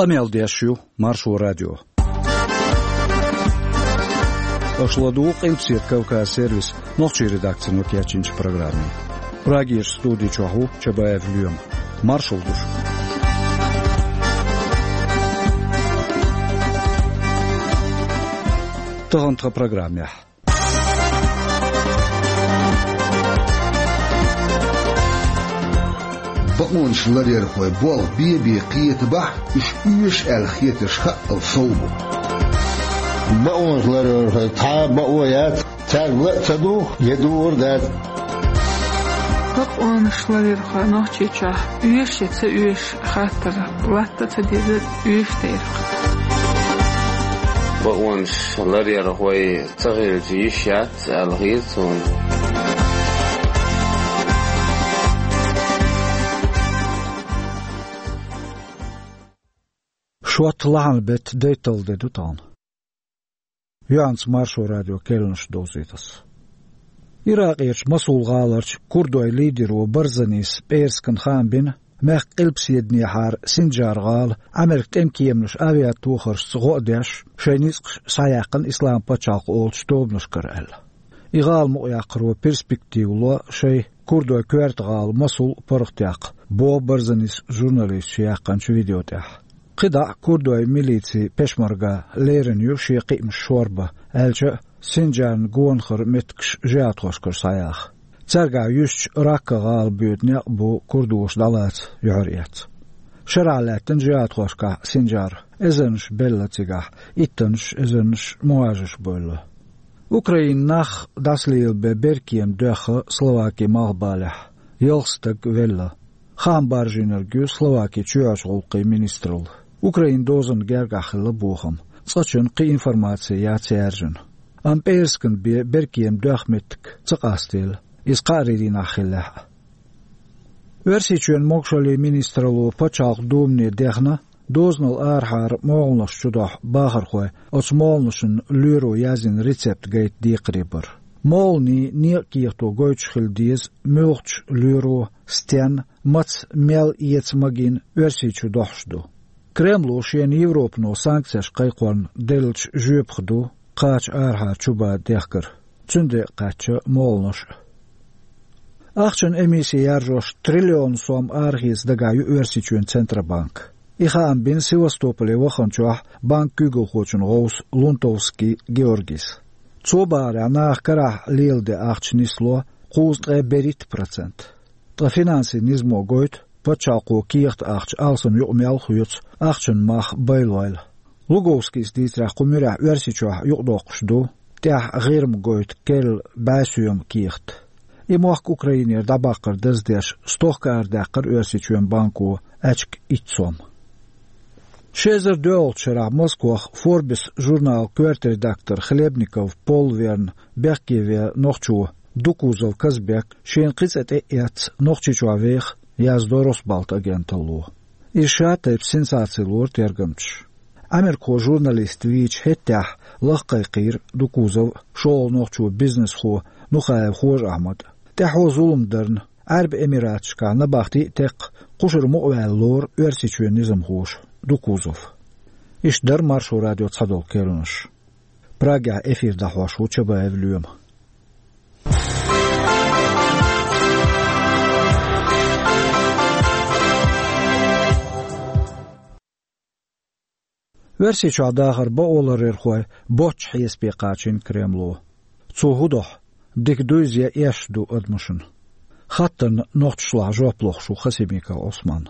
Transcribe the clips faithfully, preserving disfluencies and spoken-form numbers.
Къамел деш ю Маршо радио. Аша ладугӀу Къилбаседа Кавказ сервисан нохчийн редакцино кечйинчу программе. Прагерчу студи чохь ву Чабаев Лоьма. Маршалла ду шуьга. Тахана тхан программехь. Бакъонаш ларъярхой болх бен-бен кхетабахь, уьш оьшу аьлла хетарш хаъал сов бу. Бакъонаш ларъярхой цхьа а бакъо яц, цаьрга ла а ца дугӀу, я дугӀур дац. Бакъонаш ларъярхой Нохчийчохь оьшу я ца оьшу хаттар латта а ца деза, оьшуш дерг. Бакъонаш ларъярхой ца хилча йиш яц аьлла хета суна. Шот лахьан беттан дайталла де ду тахана. Юьхьанца Маршо радион керланаш довзуьйту ас. Иракъерчу Масул гӀаларчу курдойн лидеро Барзанис пӀераскан хаам бина, мехкан къилбаседанехьара Синджар-гӀала Ӏамеркан тӀеман кеманаш авиатохаршца гӀо а деш, шайн ницкъаш схьаяьккхина Исламан пачхьалкх олучу тобанашкара аьлла. И гӀала мукъаяккхаро перспектива ло шайн курдойн коьрта гӀала Масул паргӀатъяккха, боху Барзанис журналисташна яьккхинчу видео тӀехь. КхидӀа а курдойн милици пешмарга лерина ю шен кхиамаш шорбан, аьлча а, Синджарна гонахара меттигаш жихӀадхошкара схьаяха. Цаьргахь юьстича Ракка-гӀала боьду некъ бу курдоша дӀалаца юьхьар эцна. Шарахь лаьттина жихӀадхошкахь Синджар, эзарнаш белла цигахь, иттаннаш, эзарнаш мухӀажарш бевлла. Украинан нах дӀасалелабен беркема доьхна Словакин малхбалехь, ялх стаг велла. Хаам баржийнарг ю Словакин чоьхьарчу гӀуллакхийн министралла. Украинан дозанна гергахь хилла бохам. Цкъачунна кхин информаци яц яьржина. Амма пӀераскан бен беркема доьхна меттиг ца къастийла, иза кхаарийн дийнахь хиллехь а. Оьрсийчоьнан могушаллин министралло Пачхьалкхан Думане дехна, дозанал арахьара молханаш чудохьу бахархой оцу молханашна лоьро яздина рецепт гайта декхаре бар. Молханийн некъан кехато гойтуш хила деза муьлхачу лоьро, стенна, маца, мел эца магийна Оьрсийчу дохьуш ду. Кремло шена Европано санкцеш кхайкхорна деллачу жоьпах ду кхача арахьара чубан дехкар, цуьнан декъа кхаьчна молханаш а. Ахчанан эмисси яржош триллион сом арахеца дагахь ю Оьрсийчоьнан Центробанк. И хаам бина Севастополе ваханчохь банкан куьйгалхочун гӀовс Лунтовский Георгийс. Цо бахарехь, наха карахь леладен ахча нисло кхузткъе берхӀитта процент. Ткъа финансийн низамо гойту, пачхьалкхо кехат ахча алсам юкъа мел хоьцу, ахчанан мах байлойла. Луговскийс дийцарехь, кху муьрехь Оьрсийчохь юкъадоккхуш ду тӀехь ГӀирма гойту керла бӀе соьма кехат. И мохк Украинера дӀабаккхар даздеш, стохка арадаьккхира Оьрсийчоьнан банко аьчка итт сом. Ши эзар доьалгӀачу шарахь Москвахь Forbes журналан коьрта редактор Хлебников Пол верна бехке веа нохчо Дукузов Казбек шена кхин цӀе тӀе а эцна, Нохчийчохь веха, яздо Росбалт агенталло. Иза ша тайпа сенсаци лора тергамчаша. Ӏамеркахо журналист вийча хӀеттехь лаха кхайкхийра Дукузов а, шолгӀа нохчо бизнесхо Нухаев Хож-Ахьмад а. ТӀаьхьо зулам дарна, Ӏаьрбийн Эмираташкахь набахти а текхна, кхушара мукъаваьлла лору Оьрсийчоьнан низамхоша Дукузов. Иштта дара Маршо радион цхьадолу керланаш. Прагехь эфир дӀахьош ву Чабаев Лоьма. Оьрсийчохь дахар бакъо ларъярхой боцчу хьесапе кхачийна Кремло. Цо хӀун дохьу, дика дуй иза я эшна ду адамашна? Хаттарна нохчашлахь жоп лохуш ву Хасимиков Ӏусман.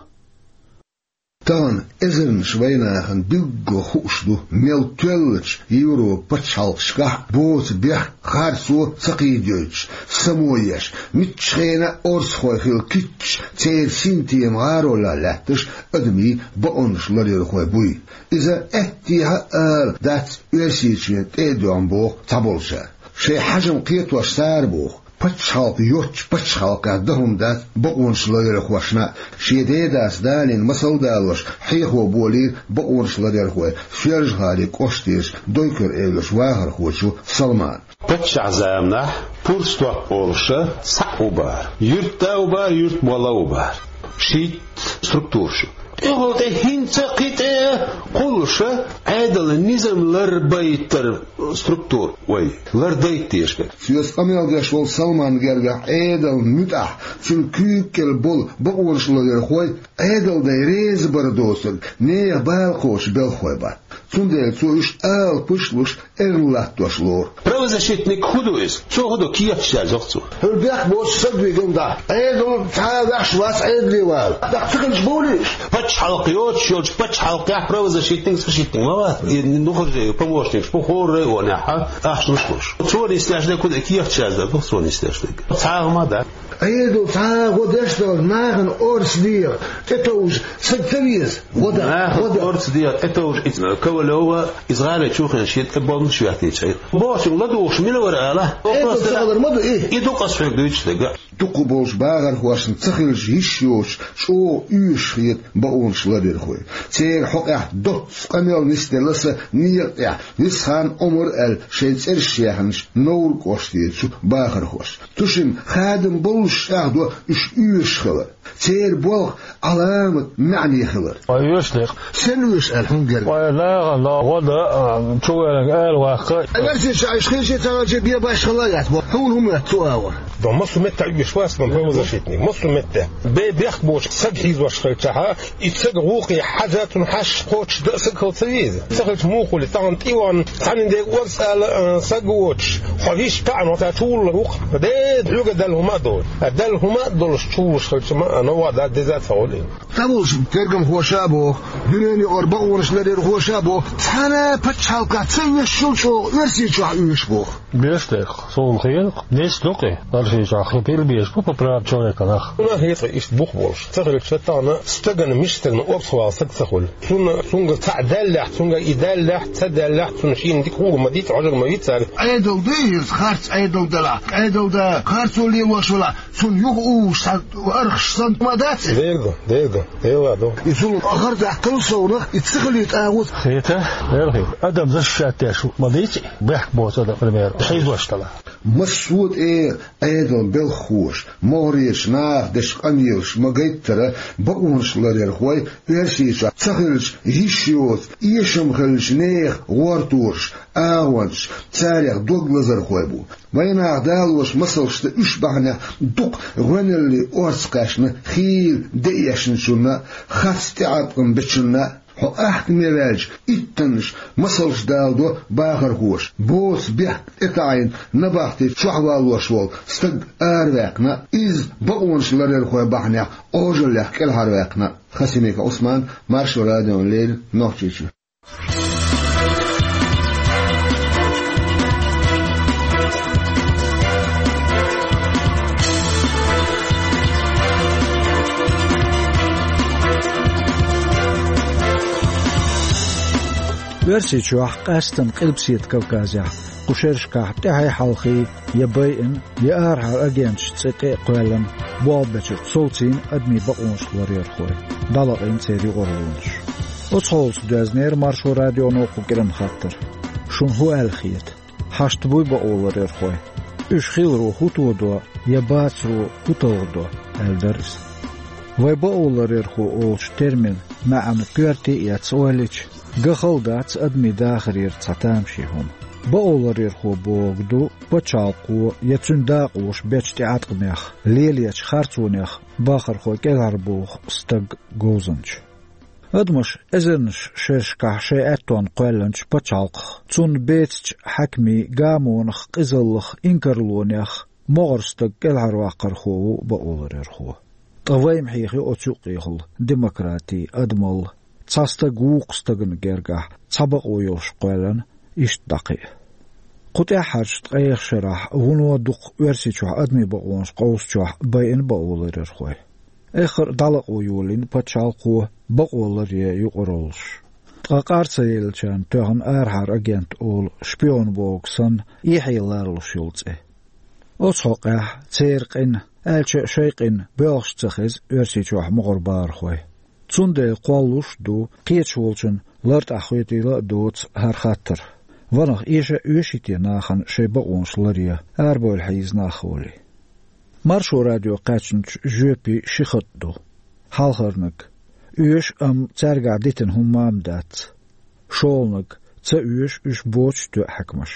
Тахана эзарнаш вайнахана билггал хууш ду, мел тоьллачу Европан пачхьалкхашкахь боцу бехк, харцо ца кхийдойтуш, само еш, муьлххачу хенахь орцахой хила кийча, церан синтема гӀаролехь лаьтташ адамийн бакъонаш ларъярхой буй. Иза аьттехьа а ала дац Оьрсийчоьнан тӀе а доьгӀна боху цхьаболчара. Шайн хьажам кхетош цара боху, пачхьалкх йоцчу пачхьалкхехь дан хӀума дац бакъонаш ларъярхошна а. Шен дедас далийна масал а далош, хьехо болийра бакъонаш ларъярхой Соьлжа-ГӀалин кӀоштарчу Дойкар-Эвларчу вахархочо Салмана. Паччахьан заманахь пурстоп олуш схьа а ву бара. Юьртда а ву бара, юьртмолла а ву бара. Шийтта структураш ю. ТӀехула тӀе хӀинца а кхин тӀе а кхуллуша Ӏедалан низам ларбайтар структура вай, лардайта дезаш. Соьца къамел деш волу Салман гергахь Ӏедалан муьтӀахь, цуьнан куьйга кӀел болу бакъонаш ларъярхой Ӏедалан дай реза бара доцург нехан бала кхочу белхалой бац. Цундела цо уьш алапаш а луш, эрна латтош лору. Правозащитник хӀун ду иза? Цо хӀун до кехаташ язйо-кх цо? ХӀара бехк боцуш стаг вигна дӀа. Ӏедал цхьа а ваьш вац Ӏедале вала. ТӀаккха ца хилча бовлий уьш? Пачхьалкх йоцуш йолчу пачхьалкхехь правозащитник, защитник ма вац. И нухаржий, помощникаш бу хӀора районехь, ахча луш луш. Цо нисдеш дерг хӀун ду, кехаташ яздан ду цо нисдеш дерг. Цхьа а хӀума дац. Ӏедал цхьа а гӀо деш а долуш, нахана орца дегӀан тӀетовжа стаг ца веза. ГӀо дан, нахана гӀо дан. Орца дегӀан тӀетовжа иза Ковалёва, иза гӀалин чу хиъна шен тӀе болмаш веттийча. Бохучуьнга ладугӀуш мила вара ала? Ӏедал ца хилар ма ду и. И ду-кх аса хьоьга дуьйцуш дерг. Дукха болчу бахархошна ца хилча йиш йоцуш, чӀогӀа оьшуш хета бакъонаш ларъярхой. Церан хьокъехь доцца къамел нисделла сан некъа тӀехь Висханов Ӏумар аьлла шайн цӀераш яьхначу Невран кӀоштера чу бахархошна. Цу шимма хадам боллуш чӀагӀдо уьш оьшуш хилар. Церан болх Ӏаламат маьӀне хилар. Ой, оьшуш дерг. Сен оьшуш аьлла хьуна герга? Ой, нахана гӀо дан, а, чу ваьлларг ала ваккха. Оьрсийчохь уьш хилча а ца хилча а бен башхалла а яц боху. Хьуна хӀун моьтту цу агӀор? До массо а меттехь оьшуш вац сан правозащитник. Массо а меттехь. Бен бехк боцуш стаг хьийзош хилчахьа, и стаг гӀуллакхе хьажа, цунна хьаьжча кхочуш дан а стаг хила ца веза. Ца хилча муха хуьлу? Тахана тӀе а вахана, цхьанна дерг орца ала, а, стаг воцуш, хьо вист таӀано ца чу вуллар ву-кх. Де, хьоьга даьлла хӀума а долуш. А даьлла хӀума а долуш чу вуллуш хилча ма, а, новкъа дан деза а ца хуьлу. ЦӀа волчу тергамхоша а боху, дуьненан юкъара бакъонаш ларъярхоша а боху, цхьана а пачхьалкхехь ца оьшуш йолу чӀогӀа Оьрсийчохь оьшу боху. Беш дерг, суна хета, нисдо-кх и. Оьрсийчохь хи пирба безаш бу по правам человека нах. Суна хета иштта бух болуш. Ца хилча тахана стагана, миштагана орца вала стаг ца хуьлу. Цунна, цуьнга цхьаъ даьллехь, цуьнга и даьллехь, ца даьллехь, цунна шена дика гӀур ма ду, хьожур ма ву цаьрга. Ӏедал ду иза, харц Ӏедал далахь. Ӏедал дан харцо лелош валахь, цунна юха уьш цхьа архаш санна ма дац иза. Дера ду, дера ду, дела ду. И зулам харцахь кхалсовнах, и ца хилийта агӀо. Хета, дера хета. Адам защищать деш ма дийци, бехк боцу адам, пример, хьийзош далахь. Массо а тӀера Ӏедалан белхахоша, могӀарерчу наха дечу къамелаша ма-гайттара, бакъонаш ларъярхой Оьрсийчохь ца хилча йиш йоцу, эшам хиллачу нехан гӀортораш, агӀончаш, царех дог лазархой бу. Вайнах далош масалш дан уьш бахьанехь дукха гӀоьналле орца кхаьчна хийла де эшначунна, харц тӀеӀаткъам бечунна. Хьо ахкаме ваьлча, иттаннаш масалш даладо бахархоша, боцу бехк тӀетаӀийна набахти чохь валлош волу стаг араваьккхина, иза бакъонаш ларъярхой бахьанехь Ӏожаллех кӀелхьарваьккхина. Хасимиков Ӏусман, Маршо радиона леррина, Нохчийчоь. Оьрсийчохь, къаьсттина Къилбаседа Кавказехь, кху шерашкахь тӀаьхьий-хьалхий я байина, я арахьара агенташца цӀе тӀе а кхоьллина, болх бечуьра совцийна адамийн бакъонаш ларъярхой, дӀалаьцна церан юкъараллаш. Оцу хьолаца доьзнера Маршо радионо кху кӀиранан хаттар: «Шуна хӀун аьлла хета? Хьашт буй бакъо ларъярхой? Уьш хиларо хӀун тодо я бацаро хӀун талхадо?» — аьлла дара иза. Вай бакъо ларъярхо олучу терминан маьӀна коьрте а эцна ойла йича, ган хала дац адамийн дахарера цхьа тамашийна хӀума. Бакъо ларъярхо бохург ду пачхьалкхо я цуьнан дакъоша бечу тӀеӀаткъамех, лелочу харцонех бахархой кӀелхьарбоху стаг, говзанча. Адамаш эзарнаш шерашкахь шайн аьттонна кхоьллинчу пачхьалкхах, цунна бецачу хьаькамийн гамонах, къизаллах, инкарлонех могӀара стаг кӀелхьарваккхархо ву бакъо ларъярхо. Ткъа вай-м хьехайо оцу юккъехула демократи, адамалла, цхьа стаг вукху стагана гергахь цхьа бакъо йолуш кхоьллина, иштта дӀакхиа. Кху тӀаьххьарчу ткъех шарахь вуно дукха Оьрсийчохь адамийн бакъонаш къовсучохь байина бакъо ларъярхой. Эххар а дӀалакъо йолийна пачхьалкхо бакъо ларъян юкъараллаш. Ткъа къар ца еллачарна тоьхна арахьара агент олу, шпион бохург санна, эхье ларалуш йолу цӀе. Оцу хьокъехь церан къина, аьлча а шайн къина, боьлхуш ца хеза Оьрсийчохь могӀара бахархой. Цундела кхоллалуш а ду, кхеташ волчунна лартӀахь хетийла а доцу хӀара хаттар. Ванах, эша а оьший те нахана шайн бакъонаш ларъян, арабевлла хьийза нах а волий? Маршо радио кхаьчначу жоьпийн ши хатӀ ду. Хьалхарниг: Оьшу, амма цаьргахь дитина хӀумма а ма дац. ШолгӀаниг, ца оьшу уьш боцуш тоьа хьаькамаш.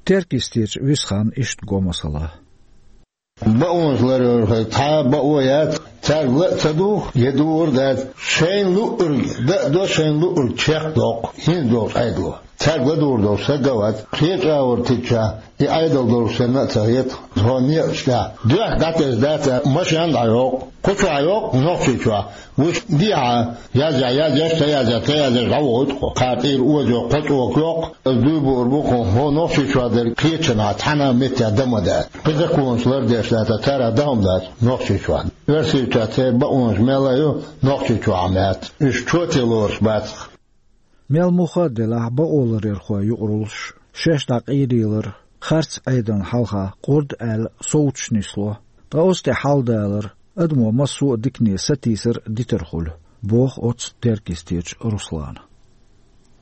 Теркйистерчу Висханна иштта го масала. Бакъонаш ларъярхой цхьа а бакъо яц, цаьрга ла а ца духу, я духур а дац. Шайна луъург дан а до, шайна луъург чекхдоккху хӀинца долчу Ӏедало. Цаьрга ладугӀур долуш стаг а вац, кхечу агӀор тидча, и Ӏедал долуш санна а ца хета, тхо некъаш тӀехь. Дуьхьа дӀатесна дац аьлла, машен дӀайоккху, кху чохь йоккху, Нохчийчохь. Вуьш дехьа, язъяхь язъеш, ца язъяхь ца язъеш, дӀавохуьйту кхо. Кхара тӀера оза йоккху, кхо чӀока йоккху, аса дуй буур бу кху, хӀо Нохчийчохь дерг кхечанхьа цхьана а меттехь дан ма дац. Кхин законаш лардеш дац, цара дан хӀума дац Нохчийчохь. Оьрсийчохь церан бакъонаш мел а ю, Нохчийчохь а ма яц. Уьш чоте лоруш бац. Мел муха а делахь, бакъоларъярхой юкъараллаш шаьш дӀакъайлаялар, харц Ӏедална хьалха къурд аьлла совцуш нисло, ткъа оцу тӀе хьалдалар адамо массо а дикане сатийсар дитар хуьлу, боху оцу теркйистерчу Руслана.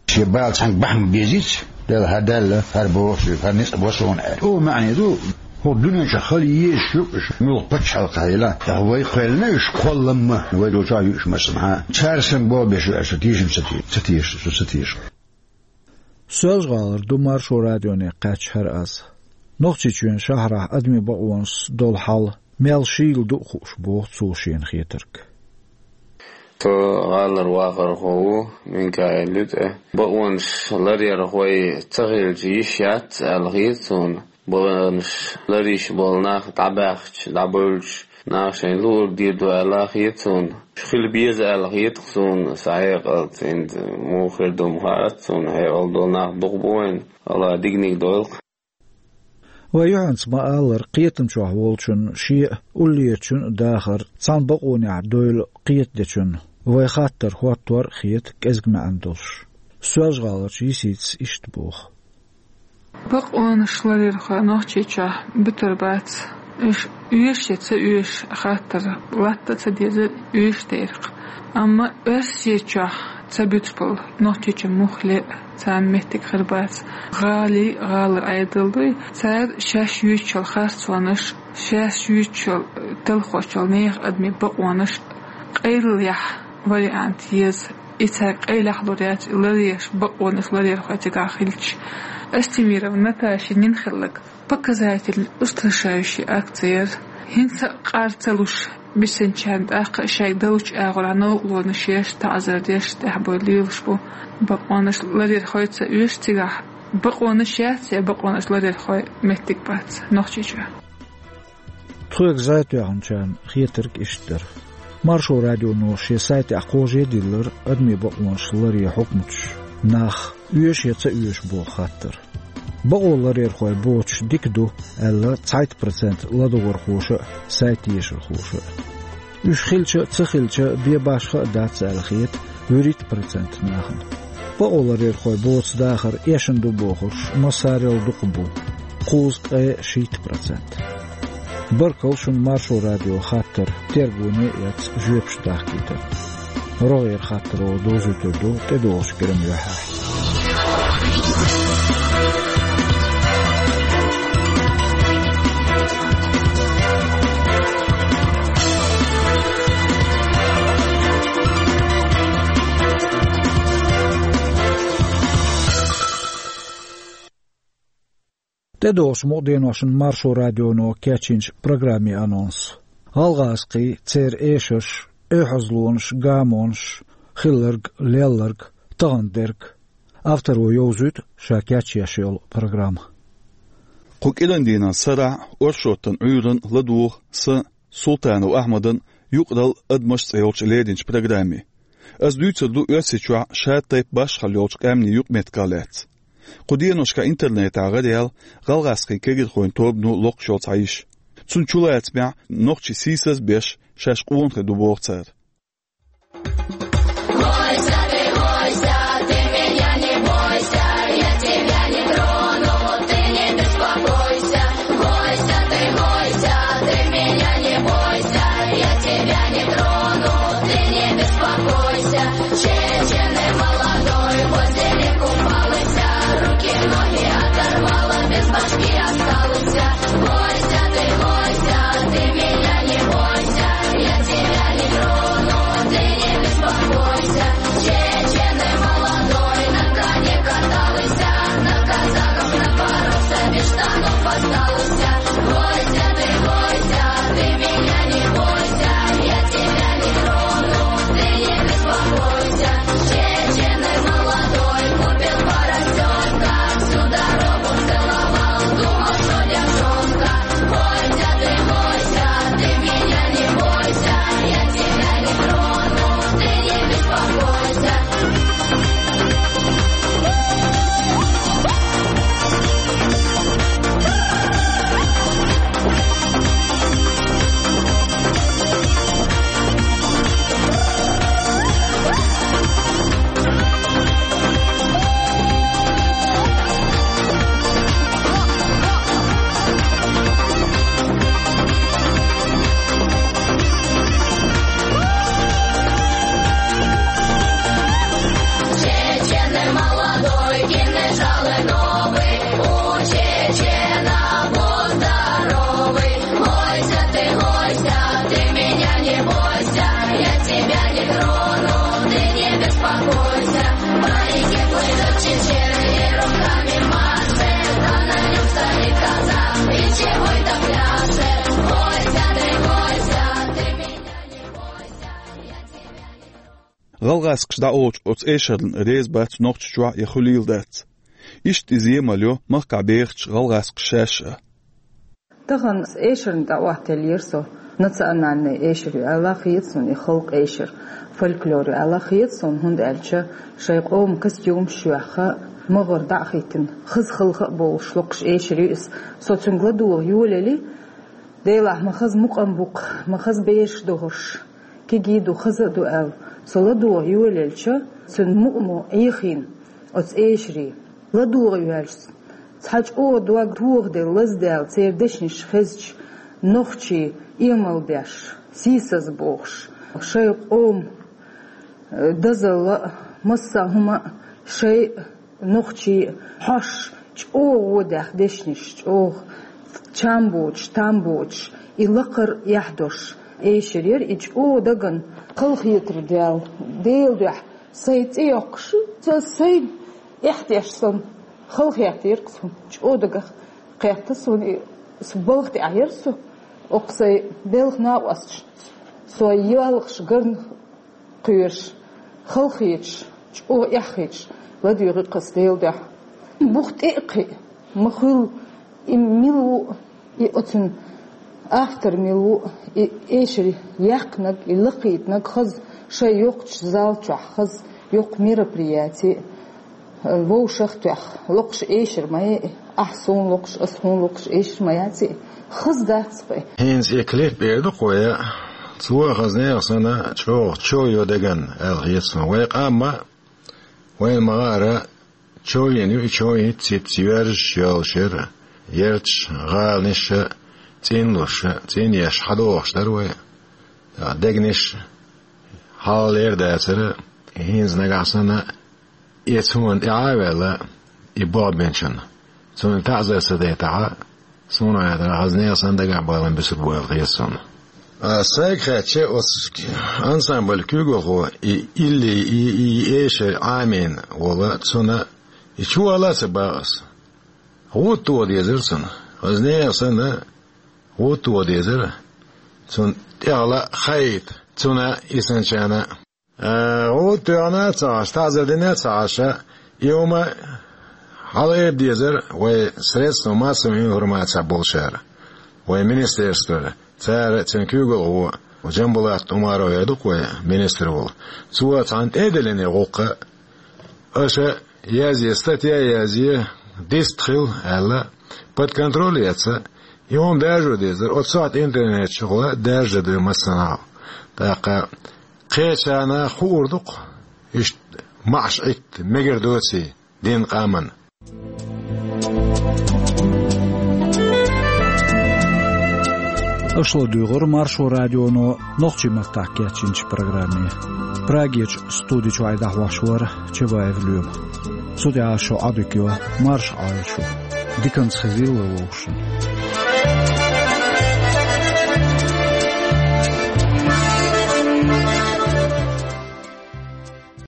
Шен бала цхьаьнга бахьана безийца, Дала хӀара даьлла, хӀара боху шуьга, хӀара ницкъ бо суна аьлла. О, маьӀне ду, хӀокху дуьнен чохь хала езаш ю уьш, муьлхха пачхьалкхехь хила. ТӀаккха вай кхоьллина уьш кхолламма, вай долчохь ю уьш массанхьа. Цара санна болх беш ю аьлла, со тешам ца те-, ца теша, со ца теша. Соьлжа-ГӀалара ду Маршо радионе кхаьчна хӀара аз. Нохчийчоьнан шахьарахь адамийн бакъонашца долу хьал мел шийла ду а хууш, боху цо шена хетарг. Со гӀалара вахархо ву, Минкаил ю тӀе. Бакъонаш ларъярхой ца хилча йиш яц аьлла хета суна. Бакъонаш ларйеш болу нах дӀабаьхча, дӀабевлча, наха шайна луург дийр ду аьлла хета суна. Хила беза аьлла хета-кх суна, сан хьекъалца, хӀинца муха хир ду ма хаьа-кх суна, хьекъал долу нах дукха бу вайна, АллахӀа диканиг дойла-кх. Вай юьхьанца ма-аллара, кхетамчохь волчунна шен а, уллерачун а дахар цхьана бакъонехь дойла кхетадечунна вай хаттар хӀоттор а хета кӀезиг маьӀна долуш. Соьлжа-ГӀаларчу Йиситас иштта боху. Бакъонаш ларъярхой Нохчийчохь буьтур бац. Уьш оьшу я ца оьшу хаттар латта а ца дезара, оьшу дерг. Амма Оьрсийчохь ца буьтуш болу Нохчийчу муххале а царна меттиг хир бац. ГӀалий, гӀалара Ӏедал дуй, цара шаьш юьйцучу харцонаш, шаьш юьйцучу талхочу нехан адамийн бакъонаш къайлаяхь вариант еза. И цара къайлаяхь лур яц, и ларъеш, бакъонаш ларъярхой цигахь хилча. Астемирова Наташа нина хилларг показательный, устрашающий акци яра. ХӀинца а къар ца луш, бисинчарна тӀаккха а шайга далучу агӀор новкъарлонаш еш, таӀзар деш, тӀаьхьабой лелаш бу. Бакъонаш ларъярхой ца оьшу цигахь, бакъонаш яц я бакъонаш ларъярхой меттиг бац Нохчийчохь. Тхоьга зӀе тоьхначарна хетарг иштта дара. Маршо радионо шен сайтехь кхожа а диллира адамийн бакъонаш ларъе хьукматаш, нах оьшу я ца оьшу боху хаттар. Бакъо ларъярхой боцуш дика ду аьлла, цхьайтта процент ладогӀархоша а, сайт ешархоша а. Уьш хилча а, ца хилча а, бен башха а дац аьлла хета вуьрхӀитта процент нахана. Бакъо ларъярхой боцу дахар эшна ду бохурш массарел дукха бу, кхузткъе шийтта процент. Баркалла шуна Маршо радион хаттар тергоне а эцна, жоьпаш дахкийтарна. РогӀера хаттаро дозуьйтур ду тӀедогӀучу кӀиран юьхьехь. ТӀедогӀучу мукъа деношна Маршо радионо кечйинчу программин анонс. ГӀалгӀазкхий, церан эшарш, оьхьазлонаш, гамонаш, хилларг, лелларг, тахана дерг. Авторо йовзуьйту ша кечъеш йолу программа. Кху кӀиран дийнан сарахь оршотан Ӏуьйранна ладугӀу сан, Султанов Ахьмадан, «Юкъаралла, адамаш» цӀе йолчу леринчу программе. Аса дуьйцур ду Оьрсийчохь шатайпа башхалла йолчу къаьмнийн юкъаметтигах лаьцна. Кху деношкахь интернетехь гӀараяьлла гӀалгӀазкхийн кегийрхойн тобано локхуш йолу цхьа йиш. Цунна чулацамехь нохчий сийсаз а беш, шаьш къонахий ду боху цара. ГӀалгӀазкхаша дӀаолучу оцу эшарна реза бац Нохчийчохь я хуьлийла дац. Иштта иза емал йо махкахь бехачу гӀалгӀазкхаша шаьш а. Тахана эшарна тӀеӀоттаеллера со. Национальный эшар ю аьлла хета суна и халкъан эшар, фольклор ю аьлла хета суна, хӀунда аьлча шайн къоман костюмаш а йоьхна, магӀар дӀа а хӀиттина, хаза халха а бовлуш локхуш эшар ю иза. Со цуьнга ладогӀа йолаелли, Делахь ма хаза мукъам бу-кх, ма хаза бераш догӀуш, кегий ду, хаза а ду аьлла, со ладогӀа йолаелча, цуьнан мукъамо Ӏехийна оцу эшаре. ЛадогӀа йоьлча, цхьа чӀогӀа дог тохаделла, лазадаьлла, церан дешнаш хезча, нохчий эмал беш, сийсаз бохуш, шайн къоман дозалла а, массо а хӀума а, шайн нохчий хьош, чӀогӀа водаьхна дешнаш, чӀогӀа чам боцуш, там боцуш, и лакхара эхь долуш эшар яра, и чӀогӀа дагна халахетар даьлла, Делан дуьхьа сайн цӀе йоккхуш, со сайн эхь деш санна, халахеттера-кх суна, чӀогӀа дагах кхетта суна и, со балха тӀехь яра со, окху сайн белхан накъосташна, со йоьлхуш гарна кхоьруш, халахеташ, чӀогӀа эхь хеташ, ладоьгӀи-кх ас Делан дуьхьа. Бух тӀе а кхиа, ма хуьлу, и мила ву, и оцуьнан автор мила ву, и эшар яьккхинарг, и лакхийтинарг хаза шайн йоккхачу зал чохь, хаза йоккха мероприяти, вовшах а тоьхна, локхуш эшар ма яй, ахь суна локхуш, ас хьуна локхуш эшар ма яций, хаза дац-кх и. ХӀинца и клип эр ду-кх вай, цо хаза нехан санна чӀогӀа чов йо деган аьлла хета суна. Вайн къам а, вайна ма-гӀара, чов йина ю, и чов йина циц йоьрзуш йолуш яра, ярташ, гӀаланаш а, цӀинлуш а, цӀинъеш хьадогӀуш дара вай. Дегнаш хьалха лер дацара, хӀинца нагахь санна, и цунна тӀаьхьа а ваьлла, и болх бинчунна. Цунна таӀзар ца дайтахь, суна хетарехь, хаза нехан санна дагахь балам буьсур бу аьлла хета суна. А, сайга хаьттича, оцу ансамбль куьйгалхо, и илли, и, и эшар Ӏамийна волу, цунна и чувала а ца боху ас. ГӀуда тоха дезара цунна. Хаза нехан санна, гӀуда тоха дезара. Цунна тӀехула хаийта, цунна и санначарна. Э, гӀуда тоьхна а ца Ӏаш, таӀзар дина а ца Ӏаш, и хӀума хьалаэр дезара вай средства массовой информации болчара, вай министерствора, цара, цуьнан куьйгалхо Джамбулат Умаров эр ду-кх вай, министр волу. Цо цхьаьна тӀе а диллина и гӀуллакх, аша язъе, статья язъе, дистхила аьлла, под контроль эца, и хӀума даржо дезара, оцу сохьта интернет чухула даржа ду массанхьа. ТӀаккха кхечарна хуур ду-кх, иштта маӀаш Ӏитта мегар доций динан къаман. Аша ладуьйгӀура Маршо радионо нохчийн маттахь кечйинчу программе. Прагерчу студи чуьра дӀахьош вара Чабаев Лоьма. Цу тӀехь шун Ӏодика йо, марша Ӏойла шу. Диканца хезийла вовшашна.